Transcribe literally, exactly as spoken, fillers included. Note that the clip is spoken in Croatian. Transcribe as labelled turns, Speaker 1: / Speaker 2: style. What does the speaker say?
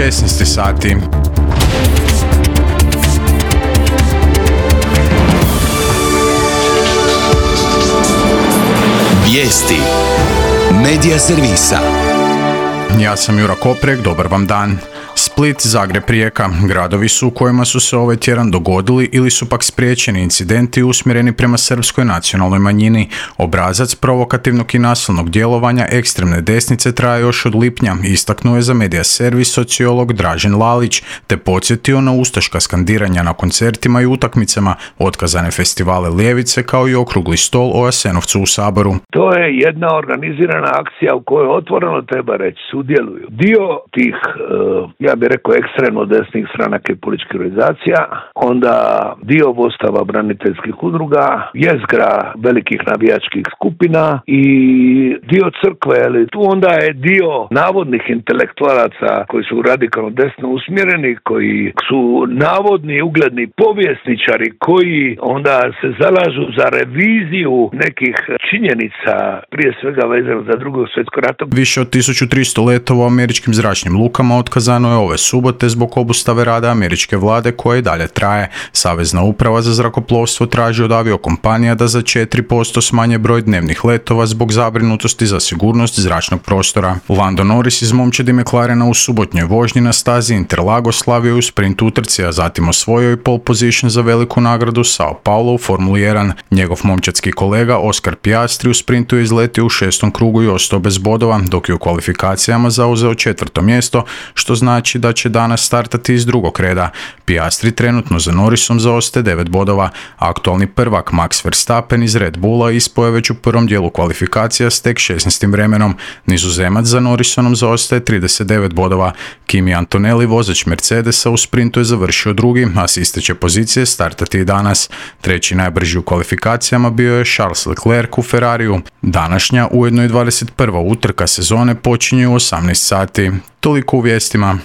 Speaker 1: šesnaest sati.
Speaker 2: Vijesti Medija servisa.
Speaker 1: Ja sam Jura Koprek, dobar vam dan. Split, Zagreb, Rijeka, gradovi su u kojima su se ovaj tjedan dogodili ili su pak spriječeni incidenti usmjereni prema srpskoj nacionalnoj manjini. Obrazac provokativnog i nasilnog djelovanja ekstremne desnice traje još od lipnja, istaknuo je za Medija servis sociolog Dražen Lalić, te podsjetio na ustaška skandiranja na koncertima i utakmicama, otkazane festivale ljevice kao i okrugli stol o Jasenovcu u Saboru.
Speaker 3: To je jedna organizirana akcija u kojoj otvoreno treba reći sudjeluju dio tih uh, ja bih rekao ekstremno desnih stranaka i političkih organizacija, onda dio vodstava braniteljskih udruga, jezgra velikih navijačkih skupina i dio crkve, ali tu onda je dio navodnih intelektualaca koji su radikalno desno usmjereni, koji su navodni ugledni povjesničari koji onda se zalažu za reviziju nekih činjenica, prije svega vezano za Drugog svjetskog rata.
Speaker 1: Više od tisuću tristo letova u američkim zračnim lukama otkazano je ove subote zbog obustave rada američke vlade koja i dalje traje. Savezna uprava za zrakoplovstvo traži od aviokompanija da za četiri posto smanje broj dnevnih letova zbog zabrinutosti za sigurnost zračnog prostora. Lando Norris iz momčadi McLarena u subotnjoj vožnji na stazi Interlagos slavio u sprint utrci, a zatim osvojio i pole position za veliku nagradu Sao Paulo u Formuli jedan. Njegov momčadski kolega Oscar Piastri u sprintu je izletio u šestom krugu i ostao bez bodova, dok je u kvalifikacijama zauzeo četvrto mjesto, što znači da će danas startati iz drugog reda. Piastri trenutno za Norrisom zaostaje devet bodova. Aktualni prvak Max Verstappen iz Red Bulla ispao je već u prvom dijelu kvalifikacija s tek šesnaestim vremenom. Nizozemac za Norrisonom zaostaje trideset devet bodova. Kimi Antonelli, vozač Mercedesa, u sprintu je završio drugi, a s isteće pozicije startati i danas. Treći najbrži u kvalifikacijama bio je Charles Leclerc u Ferrariju. Današnja, ujedno i dvadeset prva utrka sezone počinje u osamnaest sati. Toliko u vijestima.